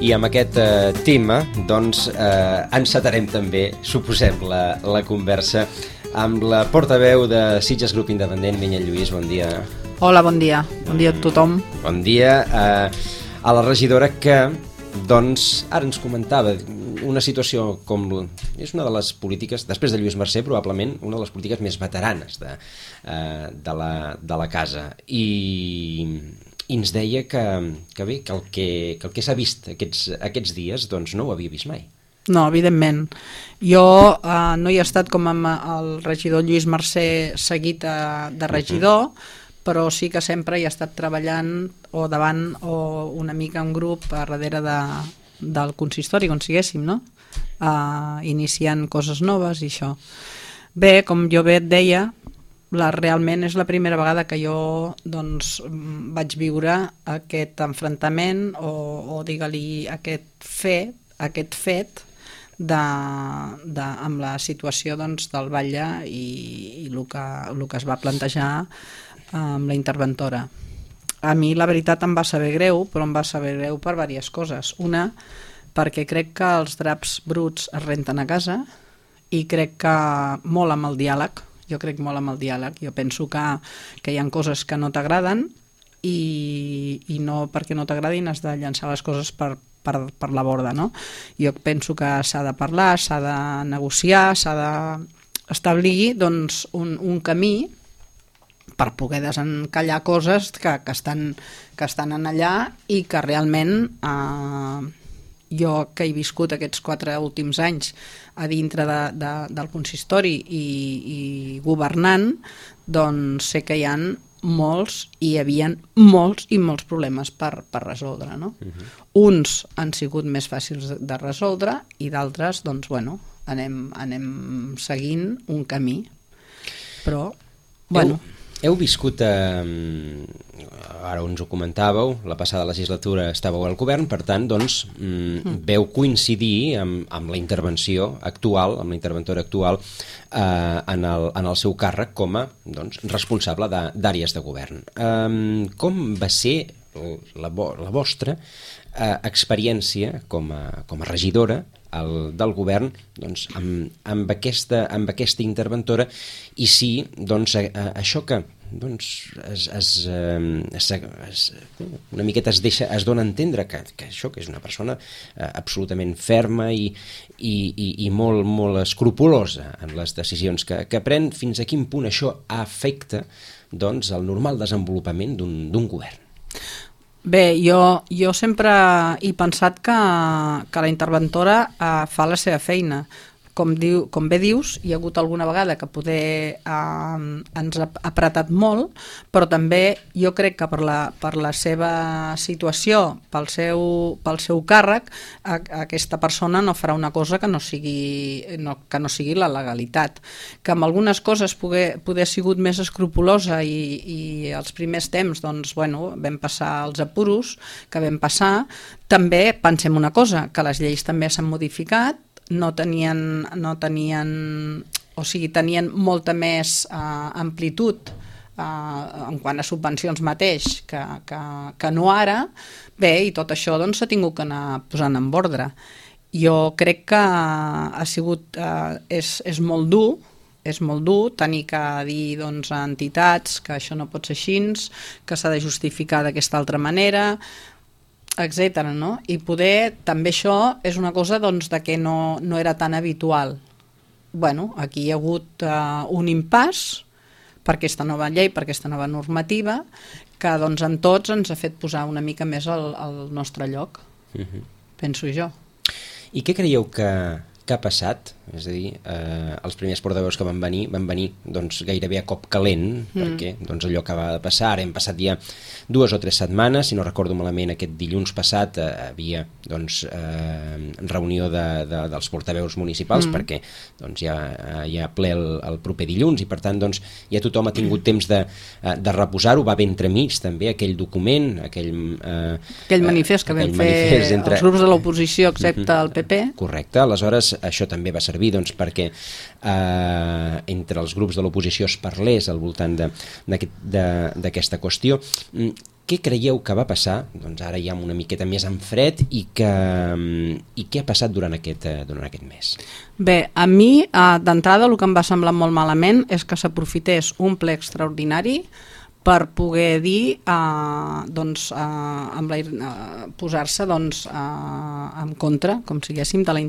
I amb aquest tema doncs encetarem també, suposem, la conversa amb la portaveu de Sitges Grup Independent, Vinyet Lluís. Bon dia. Hola, bon dia. Bon dia a tothom. Bon dia a la regidora que, doncs, ara ens comentava una situació com... És una de les polítiques, després de Lluís Mercè, probablement una de les polítiques més veteranes de la casa. I ens deia que el que s'ha vist aquests dies doncs no ho havia vist mai. No, evidentment. Jo no hi he estat com amb el regidor Lluís Mercè seguit de regidor, però sí que sempre hi he estat treballant o davant o una mica un grup a darrere del consistori, com siguéssim, no? Iniciant coses noves i això. Bé, com jo bé et deia, realment és la primera vegada que jo doncs, vaig viure aquest enfrontament o digue-li aquest fet amb la situació doncs, del batlle i el que es va plantejar amb la interventora. A mi la veritat em va saber greu, però em va saber greu per diverses coses. Una, perquè crec que els draps bruts es renten a casa i crec que molt amb el diàleg. Jo crec molt amb el diàleg. Jo penso que hi ha coses que no t'agraden i no perquè no t'agradin has de llançar les coses per la borda, no? Jo penso que s'ha de parlar, s'ha de negociar, s'ha d'establir doncs, un camí per poder desencallar coses que estan en allà i que realment jo que he viscut aquests 4 últims anys a dintre del consistori i governant, doncs sé que hi ha hi havia molts i molts problemes per resoldre, no? Uns han sigut més fàcils de resoldre i d'altres, doncs, bueno, anem seguint un camí. Però, bueno... Heu viscut, ara ens ho comentàveu, la passada legislatura estàveu al govern, per tant, doncs, veu coincidir amb la intervenció actual, amb la interventora actual en el seu càrrec com a responsable d'àrees de govern. Com va ser la vostra experiència com a regidora del govern doncs, amb aquesta interventora i si doncs, això que doncs, una miqueta es dona a entendre que això que és una persona absolutament ferma i molt, molt escrupulosa en les decisions que pren, fins a quin punt això afecta doncs, el normal desenvolupament d'un govern. Bé, jo sempre he pensat que la interventora fa la seva feina. Com bé dius, hi ha hagut alguna vegada que poder ens ha apretat molt, però també jo crec que per la seva situació, pel seu càrrec, aquesta persona no farà una cosa que no sigui la legalitat. Que amb algunes coses poder ha sigut més escrupulosa i els primers temps doncs, bueno, vam passar els apuros que vam passar. També pensem una cosa, que les lleis també s'han modificat, tenien molta més amplitud en quant a subvencions mateix que no ara. Bé, i tot això doncs, s'ha tingut que anar posant en ordre. Jo crec que ha sigut és molt dur tenir que dir doncs, a entitats que això no pot ser així, que s'ha de justificar d'aquesta altra manera, etcètera, no? I poder, també això és una cosa doncs, de que no era tan habitual. Bueno, aquí hi ha hagut un impàs per aquesta nova llei, per aquesta nova normativa, que doncs, en tots ens ha fet posar una mica més al nostre lloc, penso jo. I què creieu que ha passat? És a dir, els primers portaveus que van venir doncs, gairebé a cop calent, perquè doncs, allò acaba de passar. Ara hem passat ja 2 o 3 setmanes, si no recordo malament, aquest dilluns passat havia doncs, reunió dels portaveus municipals, perquè doncs, hi ha ple el proper dilluns, i per tant doncs, ja tothom ha tingut temps de reposar-ho. Va bé entremig també aquell document, aquell manifest que vam fer els grups de l'oposició excepte el PP. Correcte, aleshores això també va servir doncs, perquè entre els grups de l'oposició es parlés al voltant d'aquesta qüestió. Què creieu que va passar? Doncs ara ja una miqueta més en fred i què ha passat durant aquest mes? Bé, a mi d'entrada el que em va semblar molt malament és que s'aprofités un ple extraordinari per poder dir, posar-se en contra, com si diguéssim, de la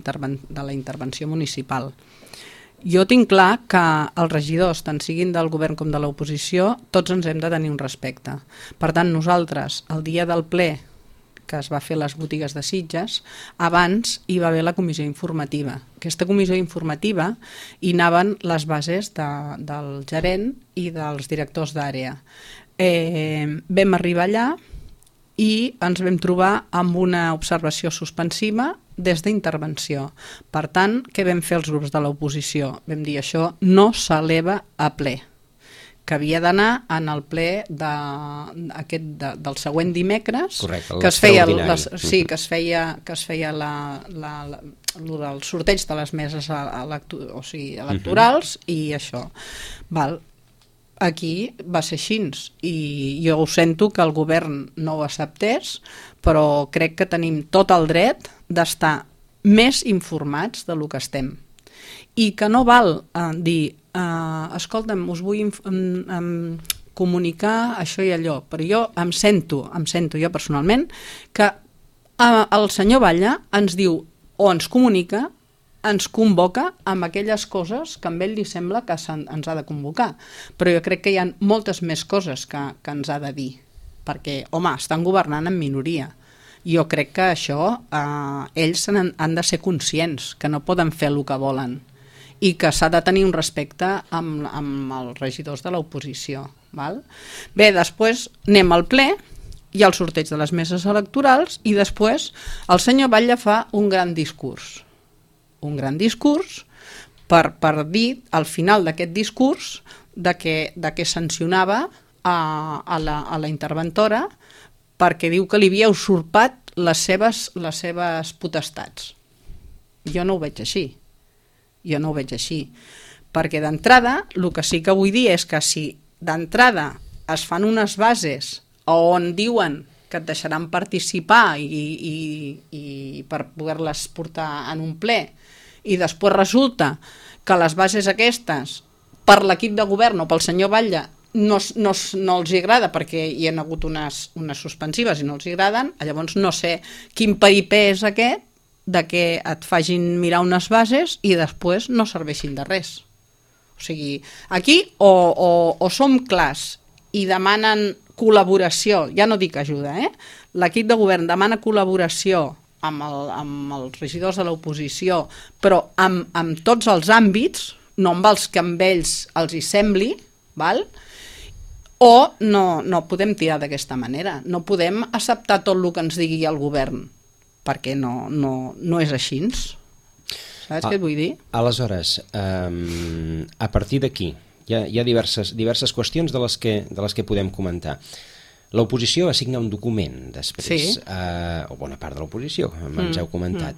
intervenció municipal. Jo tinc clar que els regidors, tant siguin del govern com de l'oposició, tots ens hem de tenir un respecte. Per tant, nosaltres, el dia del ple que es va fer a les botigues de Sitges, abans hi va haver la comissió informativa. Aquesta comissió informativa hi anaven les bases del gerent i dels directors d'àrea. Vam arribar allà i ens vam trobar amb una observació suspensiva des d'intervenció. Per tant, què vam fer els grups de l'oposició? Vam dir això no s'eleva a ple, que havia d'anar en el ple del següent dimecres. Correcte, que es feia el sorteig de les meses electorals i això. Aquí va ser així i jo ho sento que el govern no ho acceptés, però crec que tenim tot el dret d'estar més informats del que estem i que no val dir escolta'm, us vull comunicar això i allò, però jo em sento jo personalment que el senyor Batlle ens diu o ens comunica, ens convoca amb aquelles coses que a ell li sembla que ens ha de convocar, però jo crec que hi ha moltes més coses que ens ha de dir, perquè, home, estan governant en minoria. Jo crec que això ells han de ser conscients, que no poden fer el que volen i que s'ha de tenir un respecte amb els regidors de l'oposició. Bé, després anem al ple, hi ha el sorteig de les meses electorals i després el senyor Batlle fa un gran discurs per dir al final d'aquest discurs que sancionava a la interventora perquè diu que li havia usurpat les seves potestats. Jo no ho veig així. Perquè d'entrada, el que sí que vull dir és que si d'entrada es fan unes bases on diuen que et deixaran participar i per poder-les portar en un ple i després resulta que les bases aquestes per l'equip de govern o pel senyor Batlle no els agrada perquè hi ha hagut unes suspensives i no els agraden, llavors no sé quin peripé és aquest de que et facin mirar unes bases i després no serveixin de res. O sigui, aquí o som clars i demanen col·laboració, ja no dic ajuda, l'equip de govern demana col·laboració amb els regidors de l'oposició, però amb tots els àmbits, no amb els que amb ells els hi sembli, o no podem tirar d'aquesta manera. No podem acceptar tot el que ens digui el govern, perquè no és així. Saps què et vull dir? Aleshores, a partir d'aquí, hi ha diverses qüestions de les que podem comentar. L'oposició va signar un document després, o bona part de l'oposició, ens heu comentat.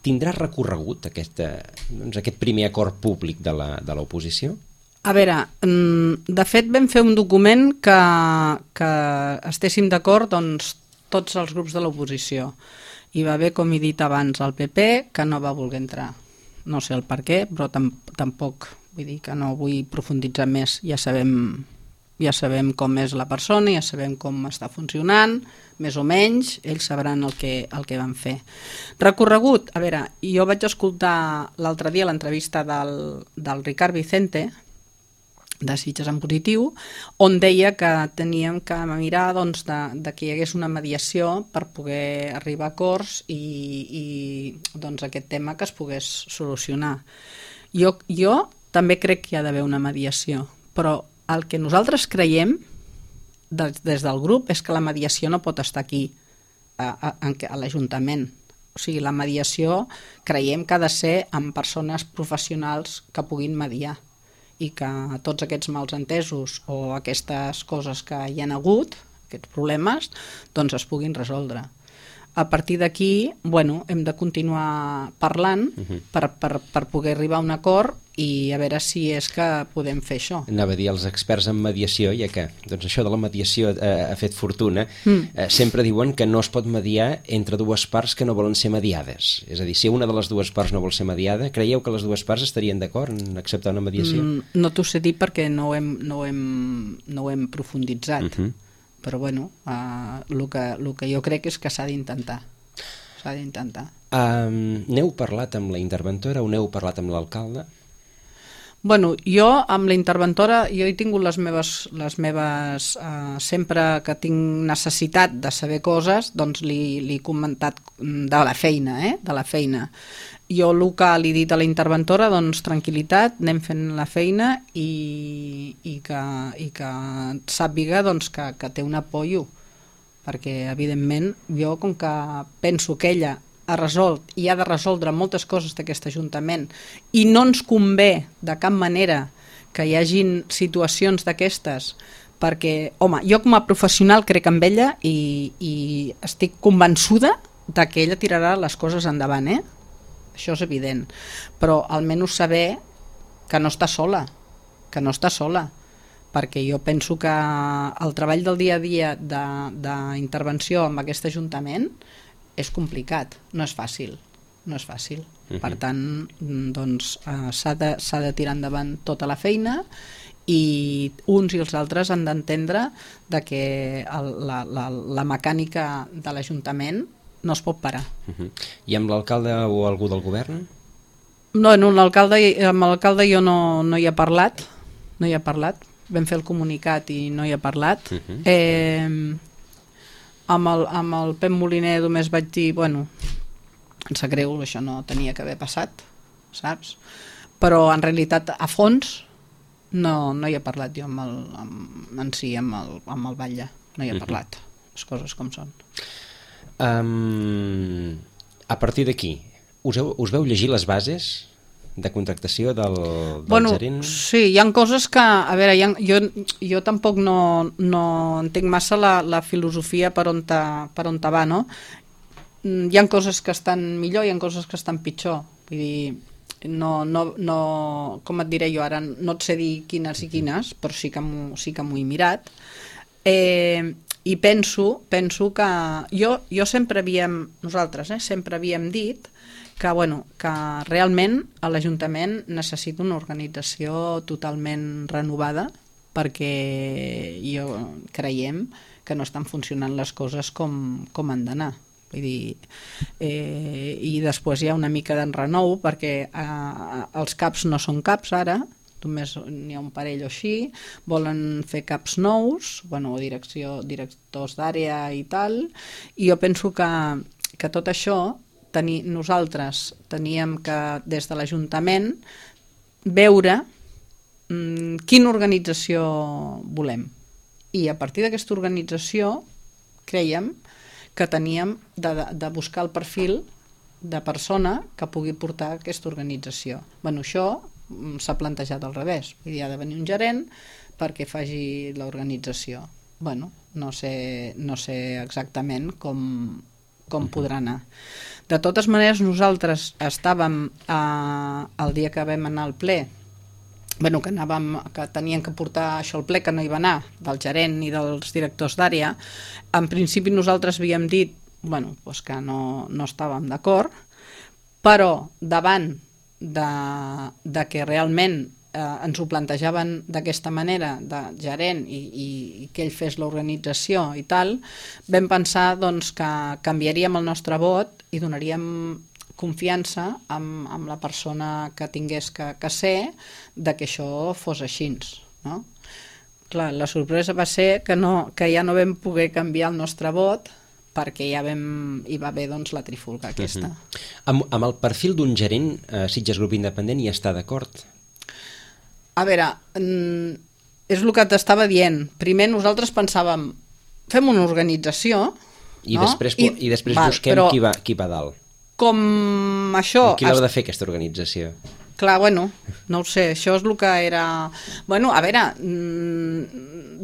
Tindrà recorregut aquest primer acord públic de l'oposició? A veure, de fet vam fer un document que estéssim d'acord tots els grups de l'oposició. Hi va haver, com he dit abans, el PP, que no va voler entrar. No sé el per què, però tampoc, vull dir que no vull profunditzar més, ja sabem com és la persona, ja sabem com està funcionant, més o menys, ells sabran el que van fer. Recorregut, a veure, jo vaig escoltar l'altre dia l'entrevista del Ricard Vicente de Sitges en positiu, on deia que teníem que mirar doncs, de que hi hagués una mediació per poder arribar a acords i doncs, aquest tema que es pogués solucionar. Jo també crec que hi ha d'haver una mediació, però el que nosaltres creiem des del grup és que la mediació no pot estar aquí, a l'Ajuntament. O sigui, la mediació creiem que ha de ser amb persones professionals que puguin mediar i que tots aquests malentesos o aquestes coses que hi ha hagut, aquests problemes, doncs es puguin resoldre. A partir d'aquí, hem de continuar parlant per poder arribar a un acord i a veure si és que podem fer això. Anava a dir, els experts en mediació, ja que doncs això de la mediació ha fet fortuna, sempre diuen que no es pot mediar entre dues parts que no volen ser mediades. És a dir, si una de les dues parts no vol ser mediada, creieu que les dues parts estarien d'acord en acceptar una mediació? No t'ho sé dir perquè no ho hem profunditzat. Però el que jo crec és que s'ha d'intentar. N'heu parlat amb la interventora o n'heu parlat amb l'alcalde? Jo amb la interventora jo he tingut les meves sempre que tinc necessitat de saber coses, doncs li he comentat de la feina, Jo el que li he dit a la interventora, doncs tranquil·litat, anem fent la feina i que sàpiga doncs, que té un apoyo, perquè evidentment jo com que penso que ella ha resolt i ha de resoldre moltes coses d'aquest Ajuntament i no ens convé de cap manera que hi hagin situacions d'aquestes, perquè, jo com a professional crec en ella i estic convençuda de que ella tirarà les coses endavant, Això és evident, però almenys saber que no està sola, perquè jo penso que el treball del dia a dia d'intervenció amb aquest Ajuntament és complicat, no és fàcil. Per tant, doncs, s'ha de tirar endavant tota la feina i uns i els altres han d'entendre que la mecànica de l'Ajuntament no es pot parar. I amb l'alcalde o algú del govern? No, amb l'alcalde jo no hi he parlat, vam fer el comunicat i no hi he parlat. Amb el Pep Moliner només vaig dir, em sap greu, això no tenia que haver passat, saps? Però en realitat a fons no hi he parlat jo amb el batlle, no hi he parlat, les coses com són. A partir d'aquí, us veu llegir les bases de contractació del gerent? Sí, hi ha coses que, a veure, jo tampoc no entenc massa la filosofia per on va, no? Hi ha coses que estan millor, hi ha coses que estan pitjor, vull dir, com et diré jo ara, no et sé dir quines i quines, però sí que m'ho he mirat, i penso que nosaltres sempre havíem dit que realment l'Ajuntament necessita una organització totalment renovada perquè creiem que no estan funcionant les coses com han d'anar. Vull dir, i després hi ha una mica d'enrenou perquè els CAPs no són CAPs ara, només n'hi ha un parell o així, volen fer CAPs nous, o directors d'àrea i tal, i jo penso que tot això nosaltres teníem que des de l'Ajuntament veure quina organització volem, i a partir d'aquesta organització creiem que teníem de buscar el perfil de persona que pugui portar aquesta organització. Això s'ha plantejat al revés, hi ha de venir un gerent perquè faci l'organització. No sé exactament com podrà anar. De totes maneres, nosaltres estàvem el dia que vam anar al ple, que tenien que portar això al ple, que no hi va anar, del gerent i dels directors d'àrea. En principi nosaltres havíem dit que no estàvem d'acord, però davant de que realment ens ho plantejaven d'aquesta manera, de gerent i que ell fes l'organització i tal, vam pensar que canviaríem el nostre vot i donaríem confiança amb la persona que tingués que ser de que això fos així. no? Clar, la sorpresa va ser que ja no vam poder canviar el nostre vot perquè hi va haver doncs, la trifulga aquesta. Amb el perfil d'un gerent, Sitges Grup Independent hi està d'acord? A veure, és el que t'estava dient. Primer nosaltres pensàvem, fem una organització, I no? després busquem qui va dalt. Com això... Qui l'ha de fer aquesta organització? Clar, bueno, no ho sé, això és el que era... Bueno, a veure,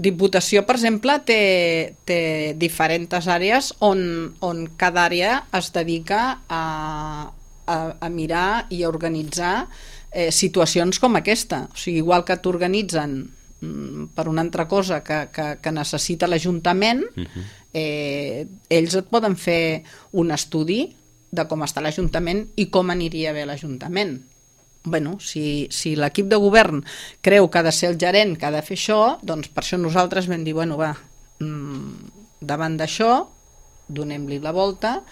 Diputació, per exemple, té diferents àrees on cada àrea es dedica a mirar i a organitzar situacions com aquesta. O sigui, igual que t'organitzen per una altra cosa que necessita l'Ajuntament, ells et poden fer un estudi de com està l'Ajuntament i com aniria bé l'Ajuntament. Bueno, si l'equip de govern creu que ha de ser el gerent que ha de fer això, doncs per això nosaltres vam dir, bueno, va, davant d'això, donem-li la volta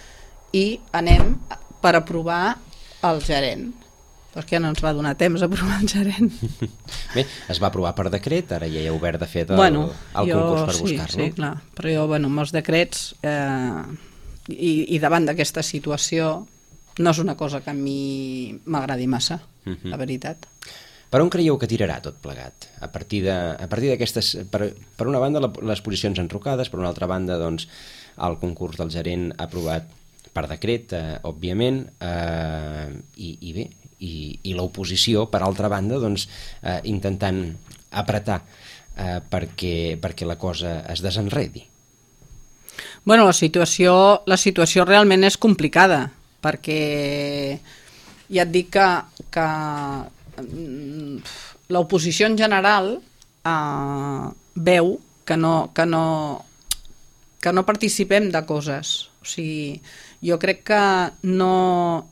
i anem per aprovar el gerent. Però és que ja no ens va donar temps a aprovar el gerent. Bé, es va aprovar per decret, ara ja hi ha obert de fet el concurs per buscar-lo. Sí, clar, però jo, bueno, amb els decrets i davant d'aquesta situació no és una cosa que a mi m'agradi massa, la veritat. Per on creieu que tirarà tot plegat? A partir d'aquestes... Per una banda, les posicions enrocades, per una altra banda, doncs, el concurs del gerent aprovat per decret, òbviament, i bé, i l'oposició, per altra banda, doncs, intentant apretar perquè la cosa es desenredi. Bueno, la situació realment és complicada, perquè ja et dic que l'oposició en general veu que no participem de coses. O sigui, jo crec que no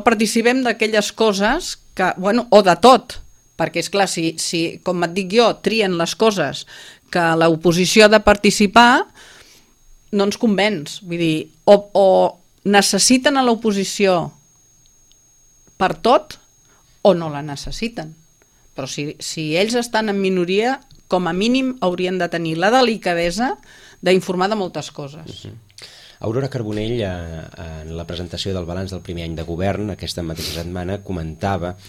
participem d'aquelles coses que, bueno, o de tot, perquè és clar, si com et dic jo, trien les coses que l'oposició ha de participar, no ens convenç. Vull dir, o necessiten a l'oposició per tot o no la necessiten. Però si ells estan en minoria, com a mínim haurien de tenir la delicadesa d'informar de moltes coses. Aurora Carbonell, en la presentació del balanç del primer any de govern, aquesta mateixa setmana, comentava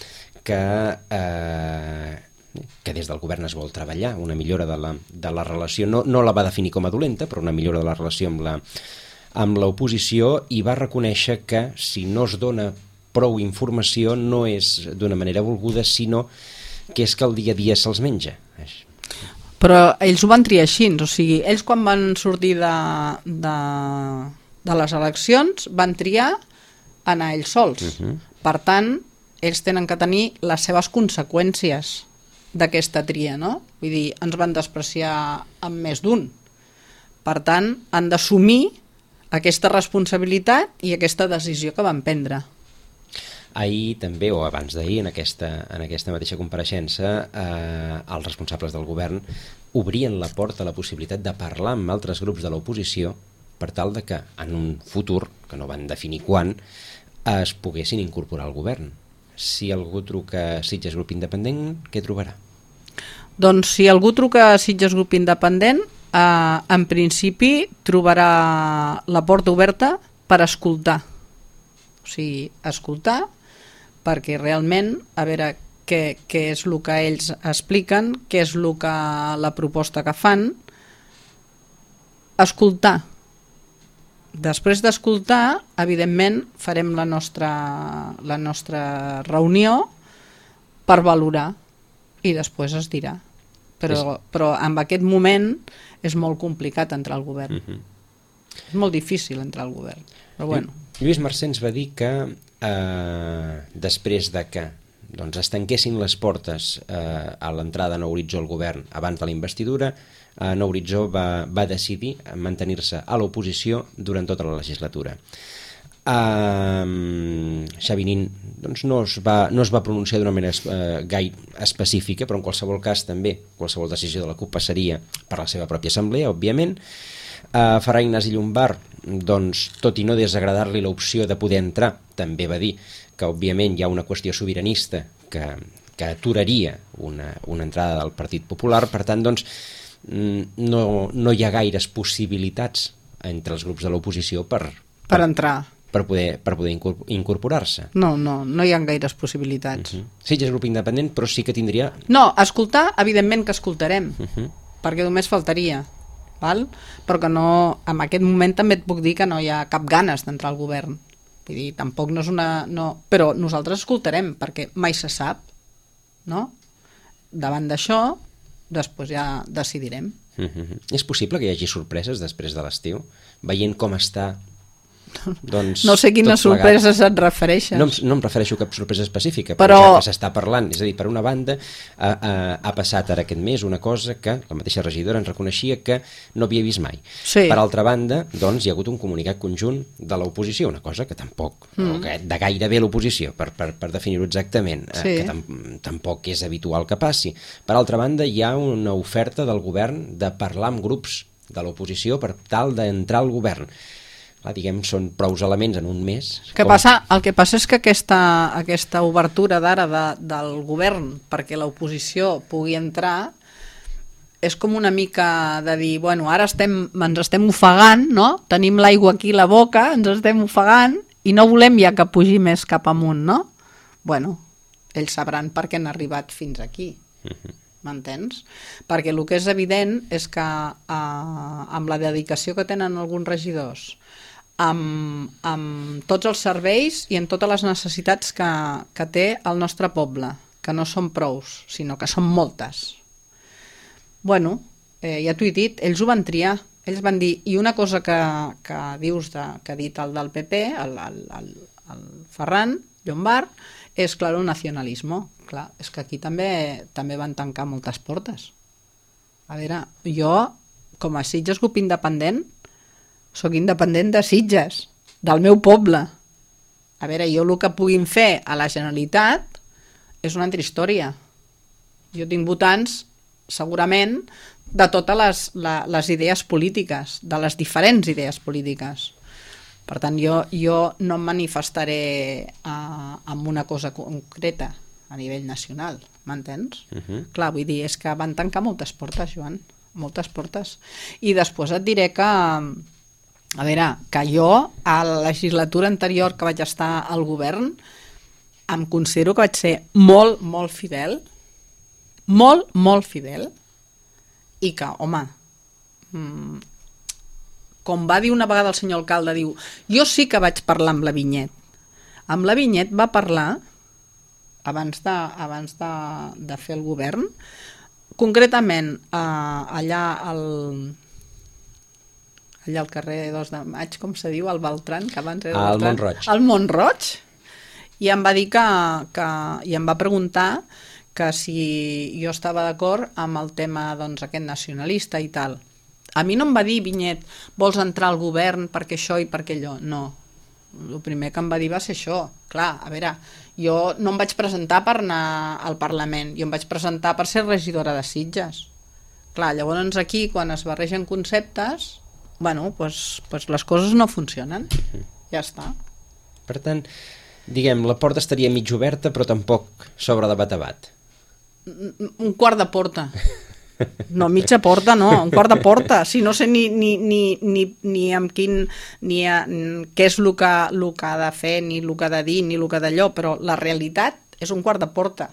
que des del govern es vol treballar una millora de la relació, no la va definir com a dolenta, però una millora de la relació amb l'oposició, i va reconèixer que si no es dona prou informació no és d'una manera volguda, sinó que és que el dia a dia se'ls menja. Però ells ho van triar així, o sigui, ells quan van sortir de les eleccions van triar anar ells sols. Per tant, ells tenen que tenir les seves conseqüències d'aquesta tria, no? Vull dir, ens van despreciar amb més d'un. Per tant, han d'assumir aquesta responsabilitat i aquesta decisió que van prendre. Ahir també, o abans d'ahir, en aquesta mateixa compareixença, els responsables del govern obrien la porta a la possibilitat de parlar amb altres grups de l'oposició per tal de que en un futur, que no van definir quan, es poguessin incorporar al govern. Si algú truca a Sitges Grup Independent, què trobarà? Doncs si algú truca a Sitges Grup Independent, en principi trobarà la porta oberta per escoltar. O sigui, escoltar perquè realment, a veure què és el que ells expliquen, què és la proposta que fan, escoltar. Després d'escoltar, evidentment, farem la nostra reunió per valorar i després es dirà. Però en aquest moment és molt complicat entrar al govern. És molt difícil entrar al govern. Però bueno. Lluís Mercè ens va dir que després de que es tanquessin les portes a l'entrada a Nou Horitzó al govern abans de la investidura, Nou Horitzó va decidir mantenir-se a l'oposició durant tota la legislatura. Xavi Nin no es va pronunciar d'una manera gaire específica, però en qualsevol cas també qualsevol decisió de la CUP passaria per la seva pròpia assemblea, òbviament. Ferran Ignasi Llombart, tot i no desagradar-li l'opció de poder entrar, també va dir que òbviament hi ha una qüestió sobiranista que que aturaria una entrada del Partit Popular. Per tant, doncs, no hi ha gaires possibilitats entre els grups de l'oposició per entrar, per poder incorporar-se. No hi ha gaires possibilitats. Sitges és grup independent, però sí que tindria... No, escoltar, evidentment que escoltarem, perquè només faltaria, val? Però que no, en aquest moment també et puc dir que no hi ha cap ganes d'entrar al govern. Vull dir, tampoc no és una... No, però nosaltres escoltarem, perquè mai se sap, no? Davant d'això, després ja decidirem. És possible que hi hagi sorpreses després de l'estiu? Veient com està... Doncs, no sé quines sorpreses et refereixes. No em refereixo a cap sorpresa específica, però ja que s'està parlant. És a dir, per una banda, ha passat ara aquest mes una cosa que la mateixa regidora ens reconeixia que no havia vist mai. Sí. Per altra banda, doncs, hi ha hagut un comunicat conjunt de l'oposició, una cosa que tampoc, de gairebé l'oposició, per definir-ho exactament, sí, que tampoc és habitual que passi. Per altra banda, hi ha una oferta del govern de parlar amb grups de l'oposició per tal d'entrar al govern. Clar, diguem, són prous elements en un mes. El que passa és que aquesta obertura d'ara del govern perquè l'oposició pugui entrar és com una mica de dir, bueno, ara ens estem ofegant, no? Tenim l'aigua aquí a la boca, ens estem ofegant i no volem ja que pugi més cap amunt, no? Bueno, ells sabran per què han arribat fins aquí. M'entens? Perquè el que és evident és que amb la dedicació que tenen alguns regidors, amb tots els serveis i en totes les necessitats que té el nostre poble, que no són prous, sinó que són moltes. Bueno, ja t'ho he dit, ells ho van triar. Ells van dir, i una cosa que dius, que ha dit el del PP, el Ferran Llombart, és, clar, el nacionalisme. Clar, és que aquí també van tancar moltes portes. A veure, jo, com a Sitges grup independent, soc independent de Sitges, del meu poble. A veure, jo el que puguin fer a la Generalitat és una altra història. Jo tinc votants, segurament, de totes les idees polítiques, de les diferents idees polítiques. Per tant, jo no em manifestaré amb una cosa concreta a nivell nacional, m'entens? Clar, vull dir, és que van tancar moltes portes, Joan, moltes portes. I després et diré que, a veure, que jo, a la legislatura anterior que vaig estar al govern, em considero que vaig ser molt, molt fidel, i que, home, com va dir una vegada el senyor alcalde, diu, jo sí que vaig parlar amb la Vinyet. Amb la Vinyet va parlar, abans de fer el govern, concretament allà al carrer 2 de Maig, com se diu, al Beltran, que abans era al Mont-roig. Al Mont-roig, i em va dir i em va preguntar que si jo estava d'acord amb el tema, doncs, aquest nacionalista i tal. A mi no em va dir, Vinyet, vols entrar al govern perquè això i perquè allò? No. El primer que em va dir va ser això. Clar, a veure, jo no em vaig presentar per anar al Parlament, jo em vaig presentar per ser regidora de Sitges. Clar, llavors aquí, quan es barregen conceptes, bueno, pues les coses no funcionen. Ja està. Per tant, diguem, la porta estaria mig oberta, però tampoc s'obre de bat a bat. Un quart de porta. No, mitja porta no, un quart de porta. Si no sé ni amb quin, què és el que ha de fer, ni el que ha de dir, ni el que ha d'allò, però la realitat és un quart de porta.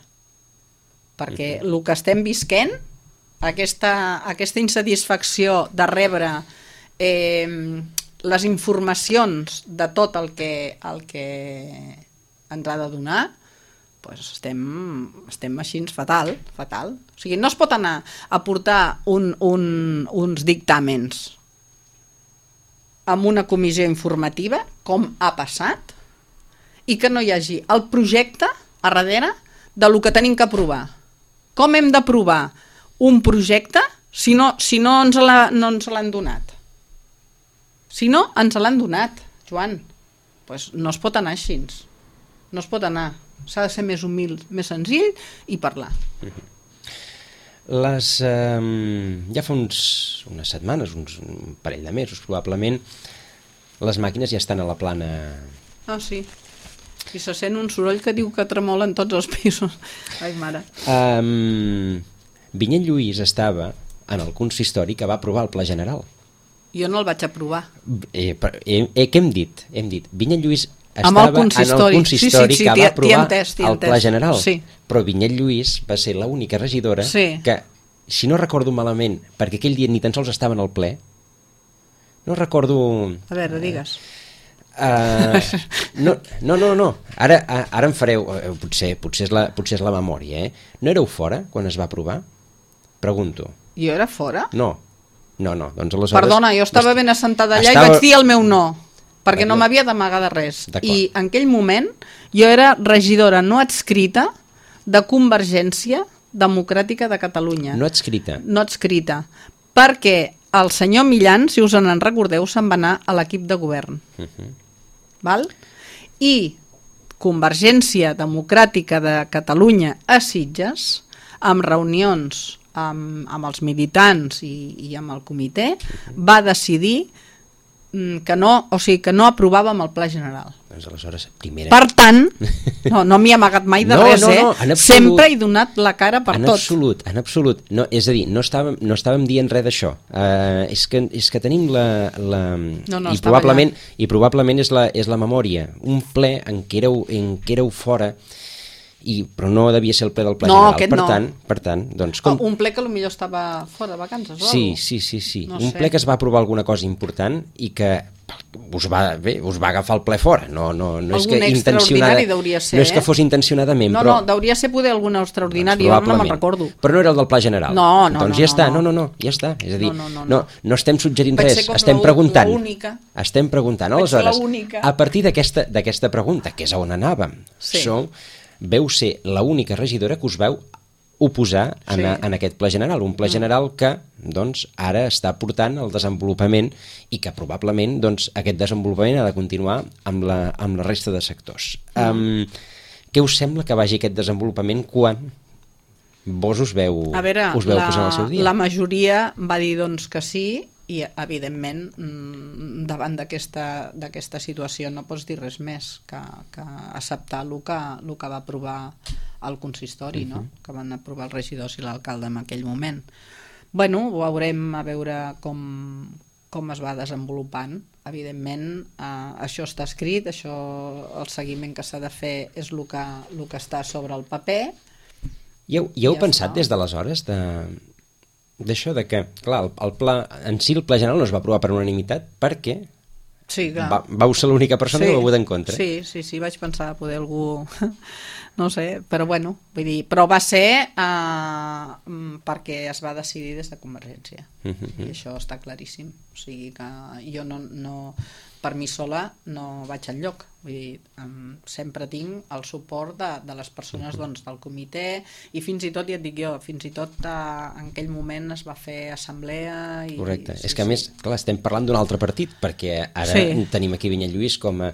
Perquè el que estem visquent, aquesta insatisfacció de rebre les informacions de tot el que ens ha de donar, doncs estem així fatal. O sigui, no es pot anar a portar uns dictàmens amb una comissió informativa, com ha passat, i que no hi hagi el projecte a darrere del que tenim que aprovar. Com hem d'aprovar un projecte si no ens l'han donat? Si no ens l'han donat, Joan, doncs no es pot anar així. No es pot anar. S'ha de ser més humil, més senzill i parlar. Ja fa unes setmanes, un parell de mesos probablement, les màquines ja estan a la plana. Ah, sí. I se sent un soroll que diu que tremolen tots els pisos. Ai, mare. Vinyet Lluís estava en el consistori que va aprovar el Pla General. Jo no el vaig aprovar. Què hem dit? Hem dit, Vinyet Lluís estava Amb el consistori. en el consistori que va aprovar el Pla General. Sí. Però Vinyet Lluís va ser l'única regidora Sí. que, si no recordo malament, perquè aquell dia ni tan sols estava en el ple, no recordo... A veure, digues. No. Ara em fareu... Potser és la memòria, eh? No éreu fora quan es va aprovar? Pregunto. Jo era fora? No. Doncs aleshores... Perdona, jo estava ben assentada allà i vaig dir el meu no, perquè no m'havia d'amagar de res. I en aquell moment jo era regidora no adscrita de Convergència Democràtica de Catalunya. No adscrita. No adscrita. Perquè el senyor Millan, si us en recordeu, se'n va anar a l'equip de govern. Val? I Convergència Democràtica de Catalunya a Sitges, amb reunions amb els militants i amb el comitè, va decidir que no aprovàvem el Pla General. Doncs aleshores, primera... Per tant, no m'hi he amagat mai de res, sempre he donat la cara per tot. En absolut. No, és a dir, no estàvem dient res d'això. És que tenim i probablement és la memòria. Un ple en què éreu fora, però no devia ser el ple del Pla General. Per tant, doncs... Un ple que potser estava fora de vacances o alguna cosa? Sí. Un ple que es va aprovar alguna cosa important i que us va agafar el ple fora. No és que intencionada, no és que fos intencionadament, però... No, deuria ser poder alguna extraordinària, jo no me'n recordo. Però no era el del Pla General. Doncs ja està, ja està. És a dir, no estem suggerint res, estem preguntant. Estem preguntant. Aleshores, a partir d'aquesta pregunta, que és on anàvem, veu ser l'única regidora que us veu oposar en aquest Pla General, un Pla General que doncs, ara està portant el desenvolupament i que probablement doncs, aquest desenvolupament ha de continuar amb la resta de sectors. Què us sembla que vagi aquest desenvolupament quan vos us veu posar en el seu dia? La majoria va dir doncs, que sí, i evidentment davant d'aquesta situació no pots dir res més que acceptar el que va aprovar el consistori, no? Que van aprovar els regidors i l'alcalde en aquell moment. Ho veurem a veure com es va desenvolupant. Evidentment això està escrit, el seguiment que s'ha de fer és el que està sobre el paper. I heu pensat des d'aleshores d'això de que, clar, el pla en si, el Pla General no es va aprovar per unanimitat perquè vau ser l'única persona que ho va votar en contra. Sí, vaig pensar poder algú no sé, però vull dir, però va ser perquè es va decidir des de Convergència i això està claríssim, o sigui que jo no per mi sola no vaig enlloc, vull dir, sempre tinc el suport de les persones del comitè i fins i tot, ja et dic jo, fins i tot en aquell moment es va fer assemblea i... Correcte, és que a més, clar, estem parlant d'un altre partit, perquè ara tenim aquí Vinyet Lluís com a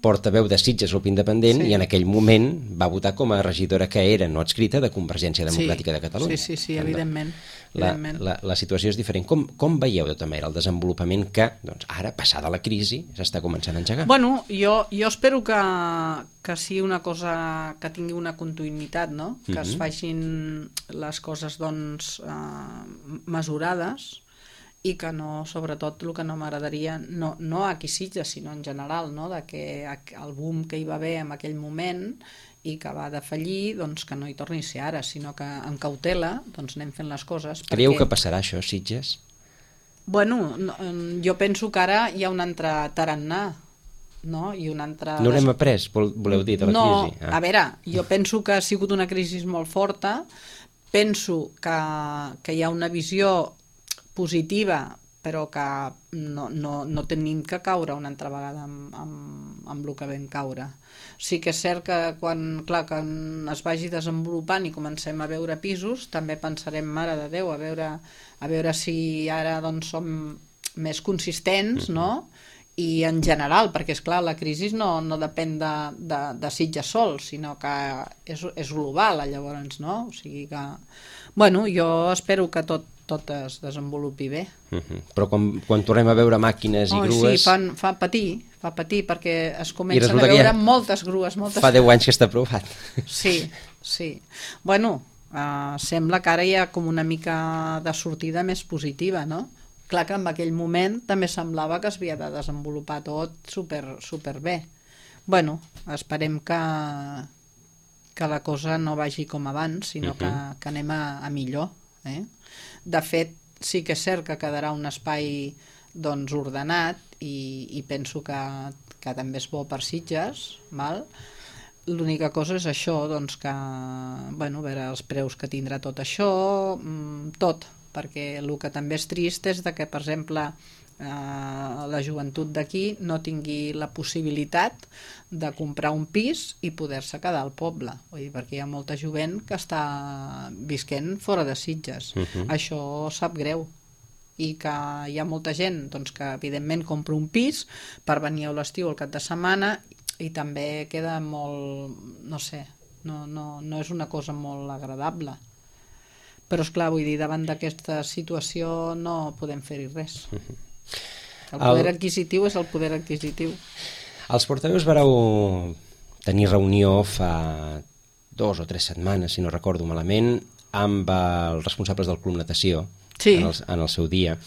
portaveu de Sitges Grup Independent i en aquell moment va votar com a regidora que era no adscrita de Convergència Democràtica de Catalunya. Sí, evidentment. La situació és diferent. Com veieu de tota manera el desenvolupament que ara, passada la crisi, s'està començant a engegar? Jo espero que sigui una cosa que tingui una continuïtat, no? Que es facin les coses mesurades i que no, sobretot el que no m'agradaria, no aquí Sitges, sinó en general, no? De que el boom que hi va haver en aquell moment i que va defallir, doncs que no hi torni a ser ara, sinó que amb cautela doncs anem fent les coses. Creieu que passarà això, Sitges? Jo penso que ara hi ha un altre tarannà, no? I un altre... No n'hem après, voleu dir, de la crisi? No, a veure, jo penso que ha sigut una crisi molt forta, penso que hi ha una visió positiva, però que no tenim que caure una altra vegada amb el que vam caure. Sí que és cert que quan es vagi desenvolupant i comencem a veure pisos, també pensarem, mare de Déu, a veure si ara som més consistents, no? I en general, perquè és clar, la crisi no depèn de Sitges sol, sinó que és global, llavors, no? O sigui que, jo espero que tot es desenvolupi bé. Però quan tornem a veure màquines i grues... Sí, fa patir, va patir perquè es I comencen resulta a que veure ja moltes grues, fa 10 anys que està aprovat. Sí, sí. Bueno, sembla que ara hi ha com una mica de sortida més positiva, no? Clar que en aquell moment també semblava que es havia de desenvolupar tot super bé. Bueno, esperem que la cosa no vagi com abans, sinó que anem a millor. De fet, sí que és cert que quedarà un espai doncs, ordenat i penso que també és bo per Sitges, val? L'única cosa és això, doncs que, bueno, a veure els preus que tindrà tot això, tot, perquè el que també és trist és que, per exemple, la joventut d'aquí no tingui la possibilitat de comprar un pis i poder-se quedar al poble, vull dir, perquè hi ha molta jovent que està visquent fora de Sitges. Això sap greu, i que hi ha molta gent doncs, que evidentment compra un pis per venir a l'estiu al cap de setmana i també queda molt, no sé, no és una cosa molt agradable. Però esclar, vull dir, davant d'aquesta situació no podem fer-hi res. El poder adquisitiu és el poder adquisitiu. Els portaveus vareu tenir reunió fa 2 o 3 setmanes, si no recordo malament, amb els responsables del Club Natació, sí, en el seu dia.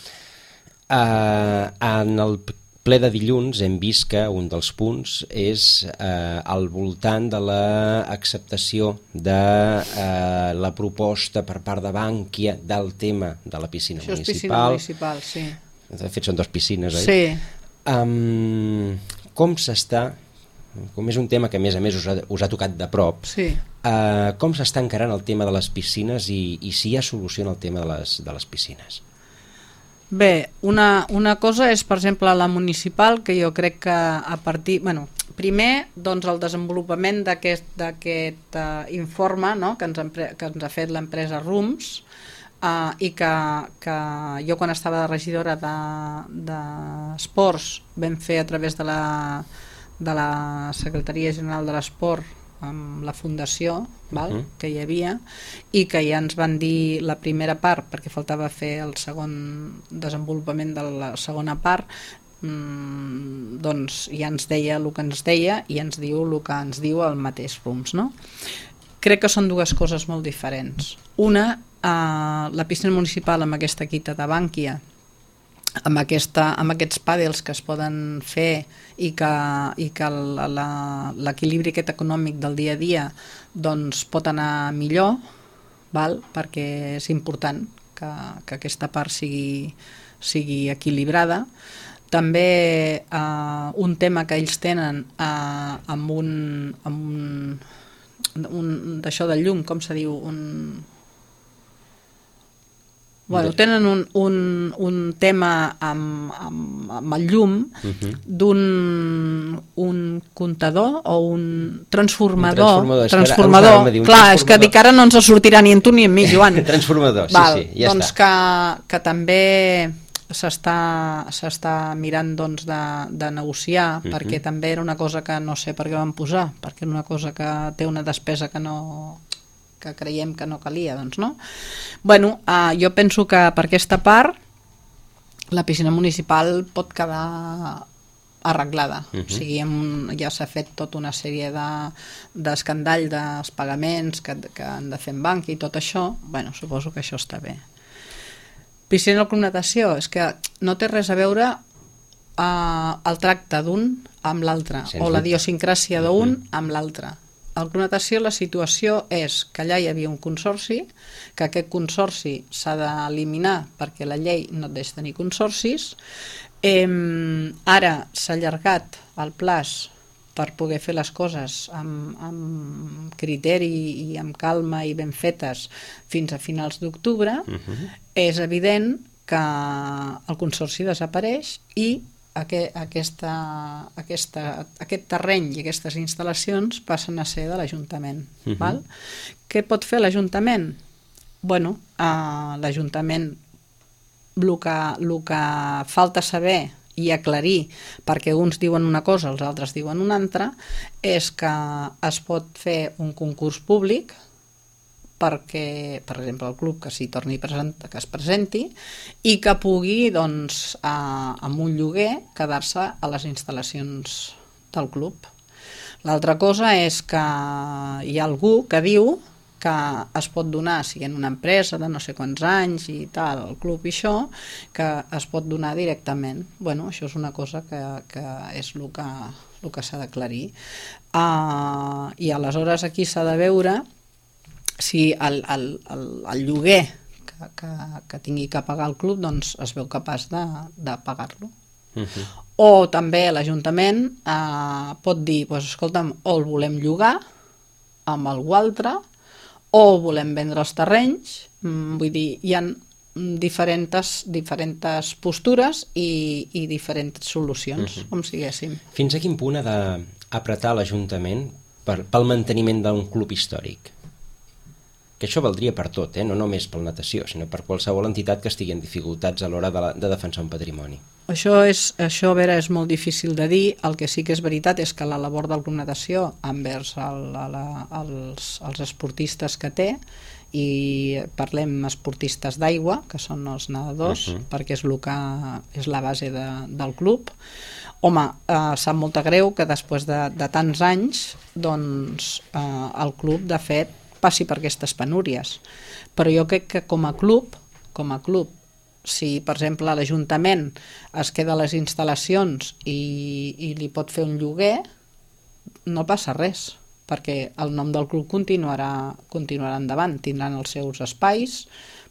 En el ple de dilluns hem vist que un dels punts és al voltant de l'acceptació de la proposta per part de Bankia del tema de la piscina municipal. Això és piscina municipal, sí. De fet, són 2 piscines, oi? Sí. Com s'està, com és un tema que a més us ha tocat de prop, sí. Com s'està encarant el tema de les piscines i si hi ha solució en el tema de les piscines? Bé, una cosa és, per exemple, la municipal, que jo crec que a partir... Bueno, primer, doncs, el desenvolupament d'aquest informe, no?, que ens ha fet l'empresa RUMS, i que jo quan estava de regidora d'Esports vam fer a través de la Secretaria General de l'Esport amb la fundació, que hi havia, i que ja ens van dir la primera part, perquè faltava fer el segon desenvolupament de la segona part, doncs ja ens deia el que ens deia i ens diu el que ens diu el mateix RUMS, no? Crec que són 2 coses molt diferents. Una, la piscina municipal amb aquesta quita de Bankia, amb aquests pàdels que es poden fer i que l'equilibri aquest econòmic del dia a dia doncs pot anar millor, perquè és important que aquesta part sigui equilibrada. També un tema que ells tenen amb un d'això del llum, com se diu, bueno, tenen un tema amb el llum d'un comptador o un transformador. Clar, és que dic ara no ens sortirà ni en tu ni en mi, Joan. Transformador, sí, ja doncs està. Que també s'està mirant doncs, de negociar, perquè també era una cosa que no sé per què van posar, perquè era una cosa que té una despesa que creiem que no calia, doncs no. Bueno, jo penso que per aquesta part la piscina municipal pot quedar arreglada, o sigui, ja s'ha fet tota una sèrie d'escandall dels pagaments que han de fer en banc i tot això, bueno, suposo que això està bé. Piscina al Club Natació, és que no té res a veure el tracte d'un amb l'altre, o la idiosincràsia d'un amb l'altre. Al Club Natació la situació és que allà hi havia un consorci, que aquest consorci s'ha d'eliminar perquè la llei no et deixa tenir consorcis. Ara s'ha allargat el plaç per poder fer les coses amb criteri i amb calma i ben fetes fins a finals d'octubre. És evident que el consorci desapareix i aquest terreny i aquestes instal·lacions passen a ser de l'Ajuntament. Què pot fer l'Ajuntament? Bueno, l'Ajuntament el que falta saber i aclarir, perquè uns diuen una cosa, els altres diuen una altra, és que es pot fer un concurs públic perquè, per exemple, el club que s'hi torni que es presenti i que pugui, doncs, amb un lloguer, quedar-se a les instal·lacions del club. L'altra cosa és que hi ha algú que diu que es pot donar, siguent una empresa de no sé quants anys i tal, el club i això, que es pot donar directament. Bueno, això és una cosa que és el que s'ha d'aclarir. I aleshores aquí s'ha de veure si el lloguer que tingui que pagar el club doncs es veu capaç de pagar-lo. O també l'Ajuntament pot dir, doncs, escolta'm, o el volem llogar amb algú altre, o volem vendre els terrenys. Vull dir, hi ha diferents postures i diferents solucions, com siguéssim. Fins a quin punt ha d'apretar l'Ajuntament pel manteniment d'un club històric? Que això valdria per tot, no només per natació, sinó per qualsevol entitat que estigui en dificultats a l'hora de defensar un patrimoni. Això, a veure, és molt difícil de dir. El que sí que és veritat és que la labor del Club Natació envers els esportistes que té, i parlem esportistes d'aigua, que són els nedadors, perquè és la base del club. Home, sap molt greu que després de tants anys doncs, el club, de fet, passi per aquestes penúries. Però jo crec que com a club, si, per exemple, l'Ajuntament es queda a les instal·lacions i li pot fer un lloguer, no passa res, perquè el nom del club continuarà endavant, tindran els seus espais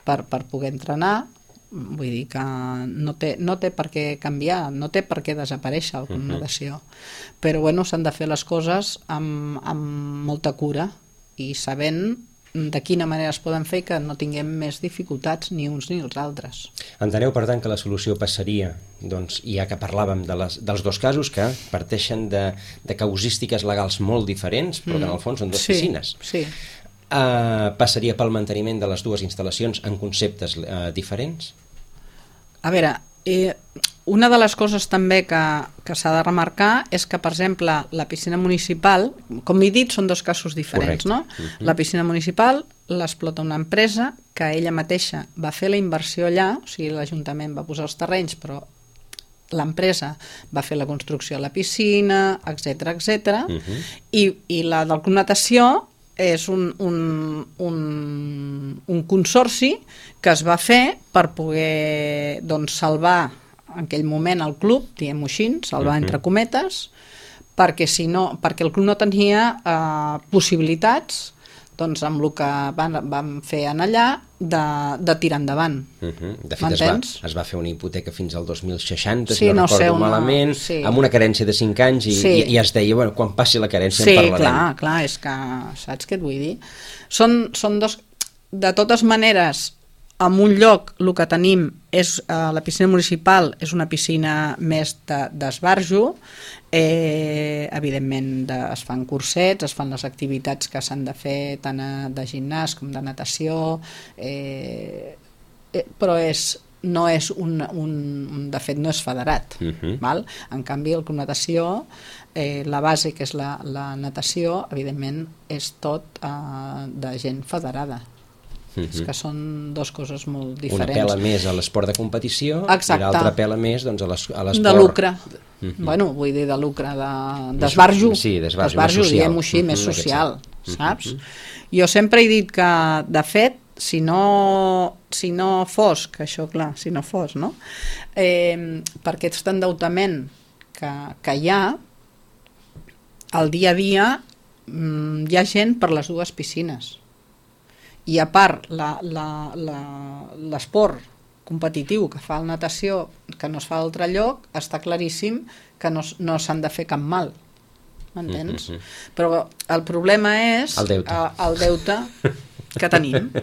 per poder entrenar. Vull dir que no té per què canviar, no té per què desaparèixer el Club Natació. Però bueno, s'han de fer les coses amb molta cura i sabent de quina manera es poden fer que no tinguem més dificultats ni uns ni els altres. Enteneu, per tant, que la solució passaria, doncs, ja que parlàvem dels dos casos que parteixen de causístiques legals molt diferents, però que en el fons són dues piscines. Sí. Passaria pel manteniment de les dues instal·lacions en conceptes diferents? A veure, una de les coses també que s'ha de remarcar és que, per exemple, la piscina municipal, com he dit, són dos casos diferents, no? La piscina municipal l'explota una empresa que ella mateixa va fer la inversió allà, o sigui, l'Ajuntament va posar els terrenys, però l'empresa va fer la construcció de la piscina, etc. I la del Club Natació és un consorci que es va fer per poder, doncs, salvar en aquell moment el club, diguem-ho així, salvar entre cometes, perquè el club no tenia possibilitats, doncs, amb el que van fer en allà, de tirar endavant. De fet, es va fer una hipoteca fins al 2060, si no recordo malament, amb una carència de 5 anys, i es deia, bueno, quan passi la carència en parlarem. Sí, clar, és que, saps què et vull dir? Són dos... De totes maneres, en un lloc el que tenim és la piscina municipal, és una piscina més d'esbarjo, evidentment es fan cursets, es fan les activitats que s'han de fer tant de gimnàs com de natació, però no és de fet no és federat, val? En canvi el Club Natació, la base que és la natació, evidentment és tot de gent federada. És que són dues coses molt diferents. Una pela més a l'esport de competició. I l'altra pela més, doncs, a l'esport... De lucre. Bueno, vull dir de lucre, d'esbarjo. Sí, d'esbarjo, diguem-ho així, més social, saps? Jo sempre he dit que, de fet, si no fos, que això, clar, si no fos, no? Per aquest endeutament que hi ha, al dia a dia hi ha gent per les dues piscines. I a part, l'esport competitiu que fa la natació, que no es fa a altre lloc, està claríssim que no s'han de fer cap mal. M'entens? Però el problema és el deute que tenim.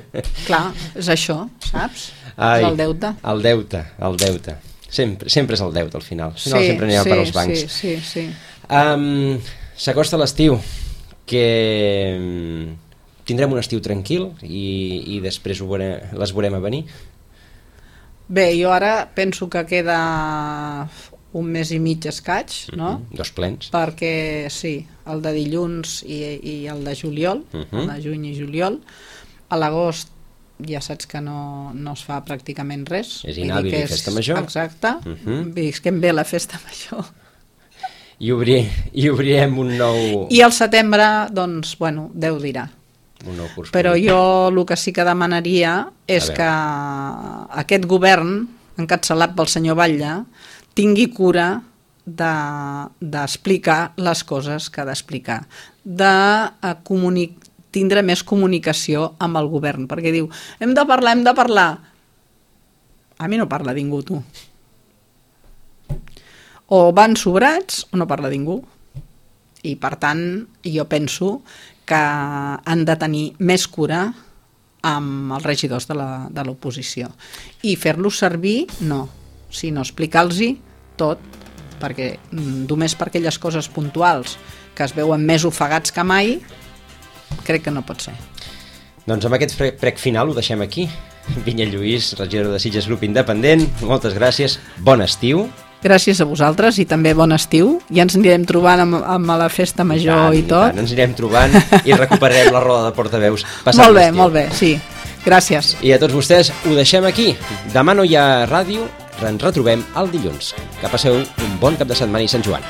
Clar, és això, saps? És el deute. El deute. Sempre és el deute, al final. Al final sempre anirà per als bancs. Sí. S'acosta l'estiu, que... Tindrem un estiu tranquil i després les veurem a venir? Bé, jo ara penso que queda un mes i mig escaig, no? Dos plens. Perquè, sí, el de dilluns i el de juliol, el de juny i juliol. A l'agost ja saps que no es fa pràcticament res. És inhàbil i festa major. Exacte. Visquem bé la festa major. I obrirem un nou... I al setembre, doncs, bueno, Déu dirà. Un nou curs. Però jo el que sí que demanaria és que aquest govern, encapçalat pel senyor Batlle, tingui cura d'explicar les coses que ha d'explicar, de tindre més comunicació amb el govern, perquè diu, hem de parlar. A mi no parla ningú, tu. O van sobrats o no parla ningú. I, per tant, jo penso que han de tenir més cura amb els regidors de l'oposició. I fer-los servir, no, sinó explicar-los tot, perquè només per aquelles coses puntuals que es veuen més ofegats que mai, crec que no pot ser. Doncs amb aquest prec final ho deixem aquí. Vinyet Lluís, regidor de Sitges, grup independent, moltes gràcies, bon estiu. Gràcies a vosaltres i també bon estiu. Ja ens anirem trobant amb la festa major i tot. Ens anirem trobant i recuperarem la roda de portaveus passat l'estiu. Molt bé, sí. Gràcies. I a tots vostès ho deixem aquí. Demà no hi ha ràdio, ens retrobem el dilluns. Que passeu un bon cap de setmana i Sant Joan.